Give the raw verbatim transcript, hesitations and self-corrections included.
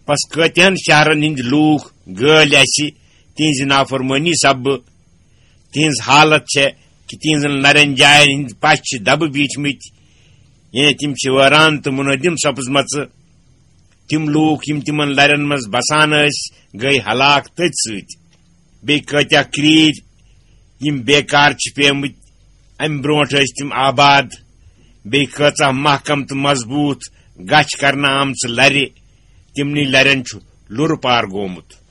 پس کٲتِہن شہرن ہٕنٛدۍ لوٗکھ گٲلۍ اسہِ تِہنٛزِ نافرمٲنی سببہٕ۔ تِہنٛز حالت چھےٚ کہِ تِہنٛزن لرٮ۪ن جاین ہٕنٛدۍ پش چھِ دبہٕ بیٖٹھمٕتۍ، یعنی تِم چھِ وٲران تہٕ منہدم سپٕزمژٕ۔ تِم لوٗکھ یِم تِمن لرٮ۪ن منٛز بسان ٲسۍ، گٔے ہلاک تٔتھۍ سۭتۍ۔ بیٚیہِ کٲتیٛاہ کرٛیٖرۍ یِم بیکار چھِ پیمٕتۍ، امہِ برونٛٹھ ٲسۍ تِم آباد۔ بیٚیہِ کۭژاہ محکم تہٕ مضبوٗط گچھ کرنہٕ آمژٕ لرِ، تِمنٕے لرٮ۪ن چھُ لُرٕ پار گوٚمُت۔